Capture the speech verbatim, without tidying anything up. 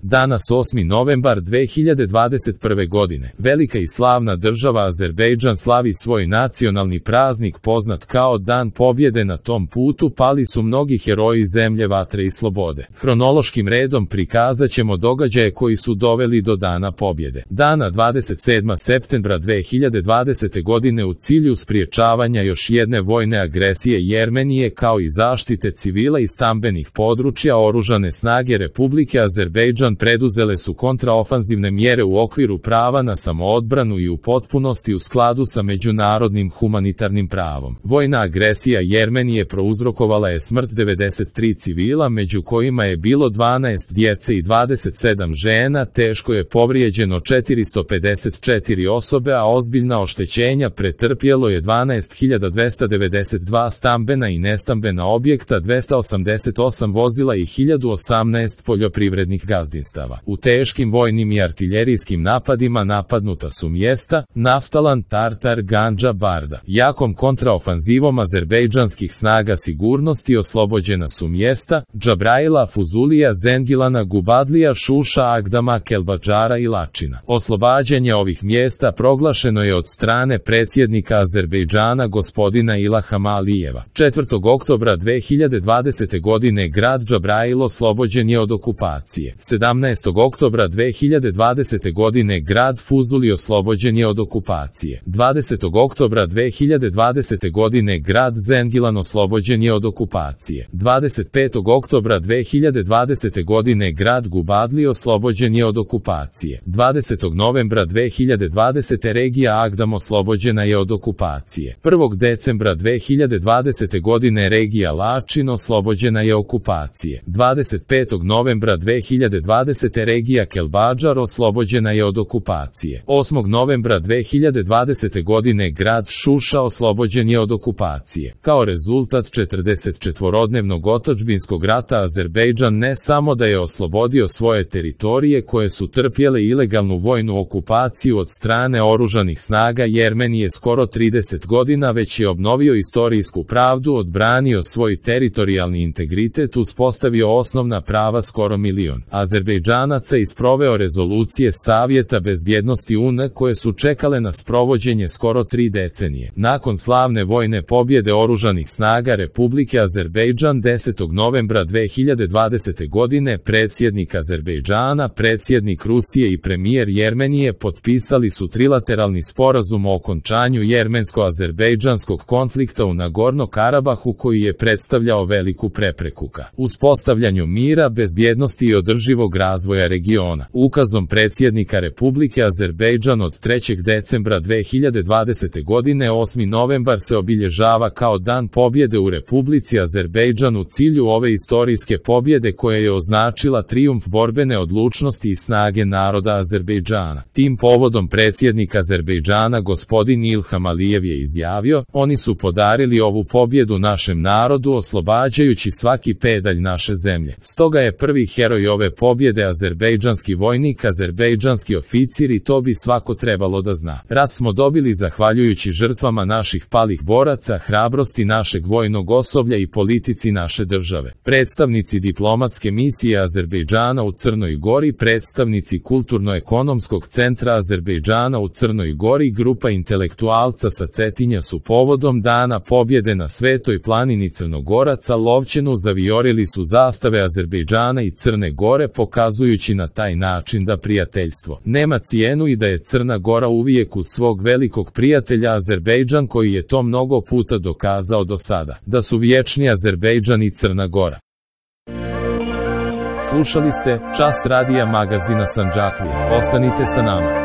Danas osmi novembar dve hiljade dvadeset prve. godine. Velika i slavna država Azerbejdžan slavi svoj nacionalni praznik poznat kao Dan pobjede. Na tom putu pali su mnogi heroji zemlje, vatre i slobode. Hronološkim redom prikazat ćemo događaje koji su doveli do Dana pobjede. Dana dvadeset sedmog septembra dve hiljade dvadesete. godine u cilju spriječavanja još jedne vojne agresije Jermenije kao i zaštite civila i stambenih područja, oružane snage Republike Azerbejdžan preduzele su kontraofanzivne mjere u okviru prava na samoodbranu i u potpunosti u skladu sa međunarodnim humanitarnim pravom. Vojna agresija Jermenije prouzrokovala je smrt devedeset tri civila, među kojima je bilo dvanaest djece i dvadeset sedam žena, teško je povrijeđeno četiristo pedeset četiri osobe, a ozbiljna oštećenja pretrpjelo je dvanaest hiljada dvesta devedeset dva stambena i nestambena objekta, dvesta osamdeset osam vozila i hiljadu osamnaest poljoprivrednih gazdinstava. U teškim vojnim i artiljerijskim napadima napadnuta su mjesta Naftalan, Tartar, Gandža, Barda. Jakom kontraofanzivom azerbejdžanskih snaga sigurnosti oslobođena su mjesta Džabraila, Fuzulija, Zengilana, Gubadlija, Šuša, Agdama, Kelbadžara i Lačina. Oslobađanje ovih mjesta proglašeno je od strane predsjednika Azerbejdžana gospodina Ilhama Alijeva. četvrtog oktobra dve hiljade dvadesete. godine grad Džabrail oslobođen je od okupacije. sedamnaestog oktobra dve hiljade dvadesete. godine grad Fuzuli oslobođen je od okupacije. dvadesetog oktobra dve hiljade dvadesete. godine grad Zengilan oslobođen je od okupacije. dvadeset petog oktobra dve hiljade dvadesete. godine grad Gubadli oslobođen je od okupacije. dvadesetog novembra dve hiljade dvadesete. regija Agdam oslobođena je od okupacije. prvog decembra dve hiljade dvadesete. godine regija Lačin oslobođena je okupacije. dvadeset petog novembra dve hiljade dvadesete. regija Kelbadžar oslobođena je od okupacije. osmog novembra dve hiljade dvadesete. godine grad Šuša oslobođen je od okupacije. Kao rezultat četrdesetčetvorodnevnog otadžbinskog rata Azerbejdžan ne samo da je oslobodio svoje teritorije koje su trpjele ilegalnu vojnu okupaciju od strane oružanih snaga Jermenije skoro trideset godina, već je obnovio istorijsku pravdu, odbranio svoj teritorijalni integritet, uspostavio osnovna prava skoro milion Azerbejdžanaca i sproveo rezolucije Savjeta bezbjednosti U N koje su čekale na sprovođenje skoro tri decenije. Nakon slavne vojne pobjede oružanih snaga Republike Azerbejdžan desetog novembra dve hiljade dvadesete. godine predsjednik Azerbejdžana, predsjednik Rusije i premijer Jermenije potpisali su trilateralni sporazum o okončanju jermensko-azerbejdžanskog konflikta u Nagorno-Karabahu koji je predstavljao veliku prepreku ka uspostavljanju mira, bezbjednosti i održivog razvoja regiona. Ukazom predsjednika Republike Azerbejdžan od trećeg decembra dve hiljade dvadesete. godine osmi novembar se obilježava kao Dan pobjede u Republici Azerbejdžan u cilju ove istorijske pobjede koja je označila trijumf borbene odlučnosti i snage naroda Azerbejdžana. Tim povodom predsjednik Azerbejdžana gospodin Ilham Alijev je izjavio: "Oni su podarili ovu pobjedu našem narodu oslobađajući svaki pedalj naše zemlje. Stoga je prvi heroj ove pobjede azerbejdžanski vojnik, azerbejdžanski oficir i to bi svako trebalo da zna. Rat smo dobili zahvaljujući žrtvama naših palih boraca, hrabrosti našeg vojnog osoblja i politici naše države." Predstavnici diplomatske misije Azerbejdžana u Crnoj Gori, predstavnici Kulturno-ekonomskog centra Azerbejdžana u Crnoj Gori, grupa intelektualca sa Cetinja su povodom Dana pobjede na Svetoj planini Crnogoraca Lovćenu zavijorili su zastave Azerbejdžana i Crne Gore, pokazujući na taj način da prijateljstvo nema cijenu i da je Crna Gora uvijek uz svog velikog prijatelja Azerbejdžan koji je to mnogo puta dokazao do sada, da su vječni Azerbejdžan i Crna Gora. Slušali ste Čas radija magazina Sandžaklija. Ostanite sa nama.